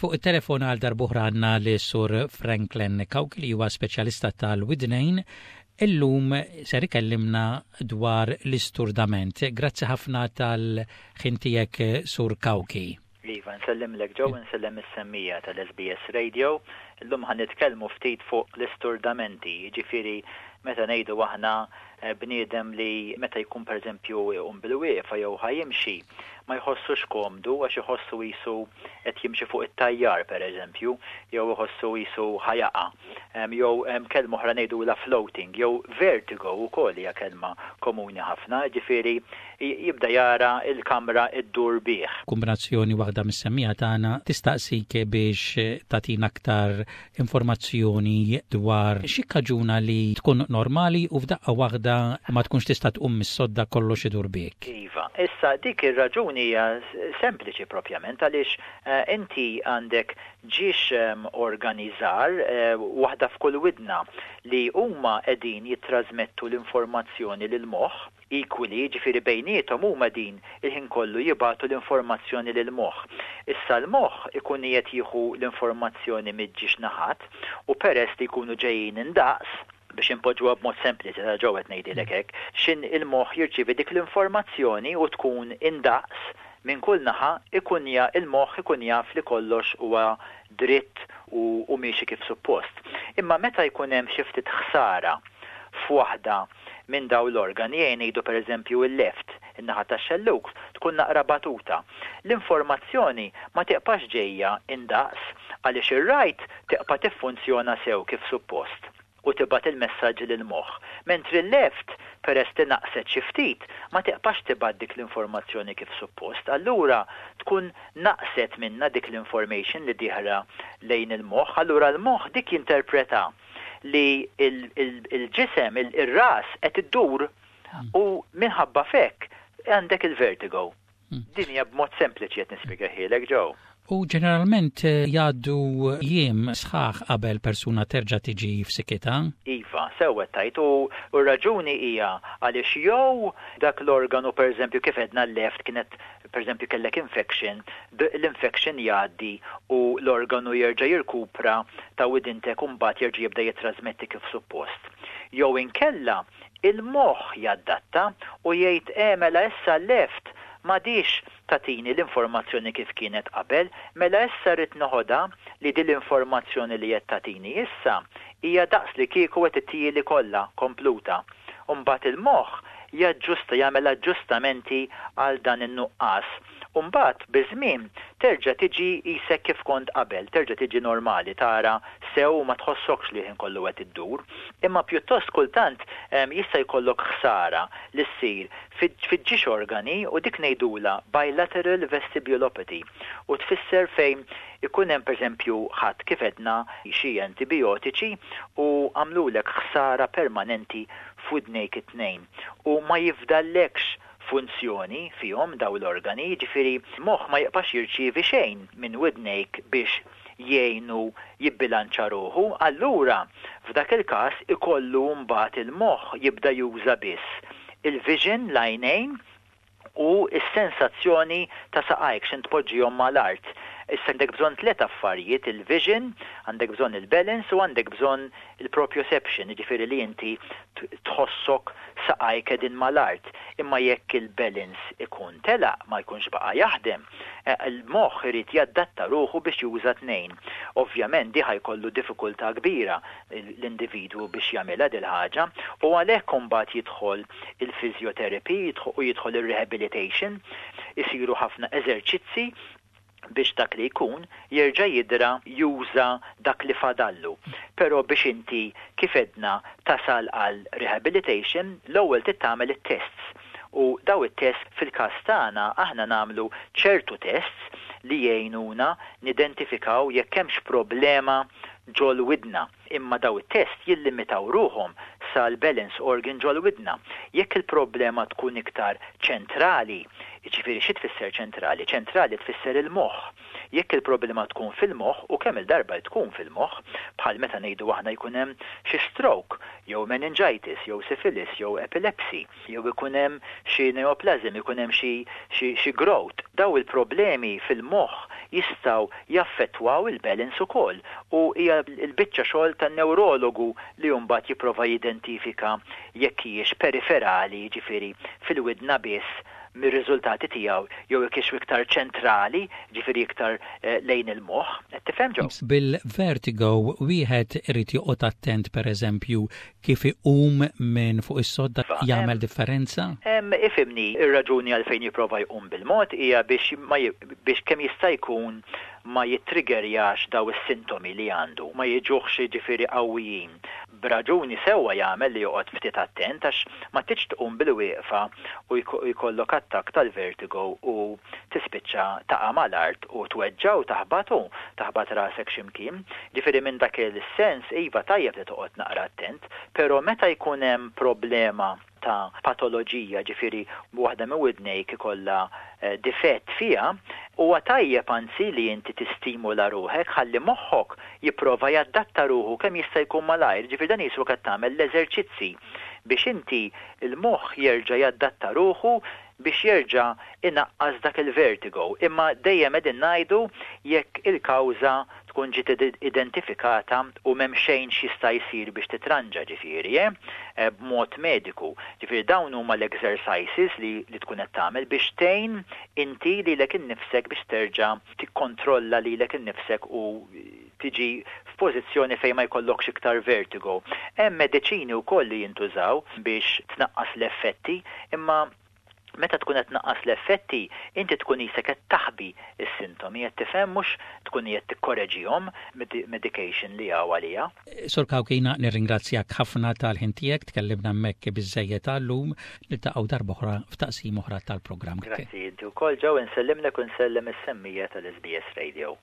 Fuq it-telefon għal darb'oħra għandna lis-Sur Franklin Cauchi li huwa speċjalista tal-widnejn. Illum ser ikellimna dwar l-isturdament. Grazzi ħafna tal-ħin tiegħek Sur Cauchi. Iva, nsellimlek Joe, nsellem is-semmiegħa tal-SBS Radio. Illum ħa nitkellmu ftit fuq l-isturdamenti, jiġifieri meta ngħidu aħna bniedem li meta jkun pereżempju iqum bil-wieqfa jew ħa jimxi, ma jħossux komdu għax iħossu qisu qed jimxi fuq it-tajjar pereżempju, jew iħossu qisu ħa jaqa'. Jew kelma oħra ngħidulha floating, jew vertigo wkoll hija kelma komuni ħafna, jiġifieri jibda jara l-kamra ddur bih. Kombinazzjoni waħda mis-semmiegħa tagħna tistaqsik biex tagħtina aktar informazzjoni dwar x'jikkaġuna li tkun normali u f'daqqa waħda ma tkunx tista' tqum mis-sodda kollox idur bik. Iva. Issa dik ir-raġuni hija sempliċi propjament għaliex inti għandek ġiex organi żgħar, waħda f'kull widna, li huma qegħdin jittrażmettu l-informazzjoni lill-moħħ. Equally, jiġifieri bejniethom huma qegħdin il-ħin kollu jibagħtu l-informazzjoni lill-moħħ. Issa l-moħħ ikun qiegħed jieħu l-informazzjoni miġ-ġiex naħat u peress li jkunu ġejjin indaqs, biex inpoġġuha b'mod sempliċi ta' ġew qed ngħidilek hekk, x'in il-moħħ jirċievi dik l-informazzjoni u tkun indaqs minn kull naħa ikun ja il-moħħ ikun jaf li kollox huwa dritt u u miexi kif suppost. Imma meta jkun hemm xi ftit ħsara f'waħda minn dawn l-organi, ejja ngħidu pereżempju l-left, in-naħa tax-xellug, tkun naqra batuta. L-informazzjoni ma tiqpax ġejja indaqs għaliex ir-right tiqpa' tiffunzjona sew kif suppost u tibgħat il-messaġġi lill-moħħ, mentri l-left, peress li naqset xi ftit, ma tiqpax tibgħat dik l-informazzjoni kif suppost. Allura tkun naqset minnha dik l-information li dieħla lejn il-moħħ, allura l-moħħ dik jinterpreta li l-ġisem, ir-ras qed iddur u minħabba f'hekk għandek il-vertigo. Din hija b'mod sempliċi qed nispjegahielek Joe. U ġeneralment jgħaddu jiem sħaħ qabel persuna terġa' tiġi f'sikitha? Iva, sew qed tgħid u r-raġuni hija għaliex jew dak l-organu pereżempju kif għedna l-left kienet pereżempju kellek infection, l-infection jgħaddi u l-organu jerġa' jirkupra ta' widintek u mbagħad jerġa' jibda jittrażmetti kif suppost. Jew inkella il-moħħ jadatta u jgħid eh mela issa l-left m'għadhiex tagħtini l-informazzjoni kif kienet qabel, mela issa rrid noħodha li din l-informazzjoni li qed tagħtini issa hija daqs li kieku qed ittihieli kollha, kompluta. U mbagħad il-moħħ jaġġusta, jagħmel aġġustamenti għal dan in-nuqqas. U mbagħad biż-żmien terġa' tiġi qisek kif kont qabel, terġa' tiġi normali, tara sew u ma tħossokx li l-ħin kollu qed iddur. Imma pjuttost kultant jista' jkollok ħsara li ssir fiġ-ġiex organi u dik ngħidulha bilateral vestibulopathy u tfisser fejn ikun hemm pereżempju ħadt kif għedna xi antibijotiċi u għamlulek ħsara permanenti f'widnejk it-tnejn u ma jifdallekx funzjoni fihom dawn l-organi, jiġifieri l-moħħ ma jibqax jirċievi xejn minn widnejk biex jgħinu jibbilanċa ruħu, allura f'dak il-każ ikollu mbagħad il-moħħ jibda juża biss il-vision, l-għajnejn, u s-sensazzjoni ta' saqajk x'int tpoġġihom mal-art. Issa għandek bżonn tlett affarijiet, il-vision, għandek bżonn il-balance u għandek bżonn il-proprioception, jiġifieri li inti tħossok saqajk qegħdin mal-art. Imma jekk il-balance ikun telaq, ma jkunx baqa' jaħdem, il-moħħ irid jadatta ruħu biex juża tnejn. Ovvjament di ħa jkollu diffikultà kbira l-individwu biex jagħmilha dil-ħaġa u għalhekk imbagħad jidħol il-physiotherapy u jidħol ir-rehabilitation, isiru ħafna eżerċizzi biex dak li jkun jerġa' jidra juża dak li fadallu. Però biex inti kif għedna tasal għal rehabilitation, l-ewwel trid tagħmel it-tests. U daw it-tests fil-każ tagħna aħna nagħmlu ċertu tests li jgħinuna nidentifikaw jekk hemmx problema ġol-widna. Imma daw it-test jillimitaw ruħhom sal-balance organ ġol-widna. Jekk il-problema tkun iktar ċentrali, jiġifieri xi tfisser ċentrali? Ċentrali tfisser il-moħħ. Jekk il-problema tkun fil-moħħ, u kemm-il darba tkun fil-moħħ, bħal meta ngħidu aħna jkun hemm xi stroke, jew meningitis, jew syphilis, jew epilepsy, jew ikun hemm xi neoplasm, ikun hemm xi xi xi growth, daw il-problemi fil-moħħ jistgħu jaffettwaw il-balance ukoll u hija l-biċċa xogħol tan-newrologu li mbagħad jipprova jidentifika jekk hijiex periferali, jiġifieri fil-widna biss mir-riżultati tiegħu jew jekk hix iktar ċentrali, jiġifieri iktar lejn il-moħħ. Qed tifhem Joe? Bil-vertigo wieħed irid joqgħod attent pereżempju kif iqum minn fuq is-sodda jagħmel differenza? Ifhimni, ir-raġuni għalfejn jipprova jqum bil-mod hija biex ma biex kemm jista' jkun ma jittriggerjax daw is-sintomi li għandu, ma jiġuhx jiġifieri qawwijin. B'raġuni sewwa jagħmel li joqgħod ftit attent għax ma tridx tqum bil-wieqfa u jkollok attakk tal-vertigo u tispiċċa taqa' mal-art u tweġġa' u taħbat u taħbat rasek xi mkien. Ġifieri minn dak il-sens iva tajjeb li toqgħod naqra attent, però meta jkun hemm problema ta' patoloġija, ġifieri waħda minn widnejk ikollha difett fiha, huwa tajjeb anzi li inti tistimula ruħek ħalli moħħok jipprova jadatta ruħu kemm jista' jkun malajr, ġifieri dan jiswa qed tagħmel l-eżerċizzi biex inti l-moħħ jerġa' jadatta ruħu biex jerġa' inaqqas dak il-vertigo. Imma dejjem qegħdin ngħidu jekk il-kawża tkun ġiet identifikata u m'hemm xejn x'jista' jsir biex titranġa ġifieri, eh, b'mod mediku. Ġifieri dawn huma l-exercises li, li tkun qed tagħmel biex tgħin inti lilek innifsek biex terġa' tikkontrolla lilek innifsek u tiġi f'pożizzjoni fejn ma jkollokx iktar vertigo. Hemm mediċini wkoll li jintużaw biex tnaqqas l-effetti, imma meta tkun qed tnaqqas l-effetti, inti tkun qisek qed taħbi s-sintomi, qed tifhem mhux tkun qed tikkoreġihom medication li hawn għalija. Sur Cauchi, jiena nirringrazzjak ħafna tal-ħin tiegħek, tkellimna hemmhekk biżżejjed għal-lum, niltaqgħu darb'oħra f'taqsim oħra tal-programm. Grazzi inti wkoll Joe, insellimlek u nsellem is-semmija tal-SBS Radio.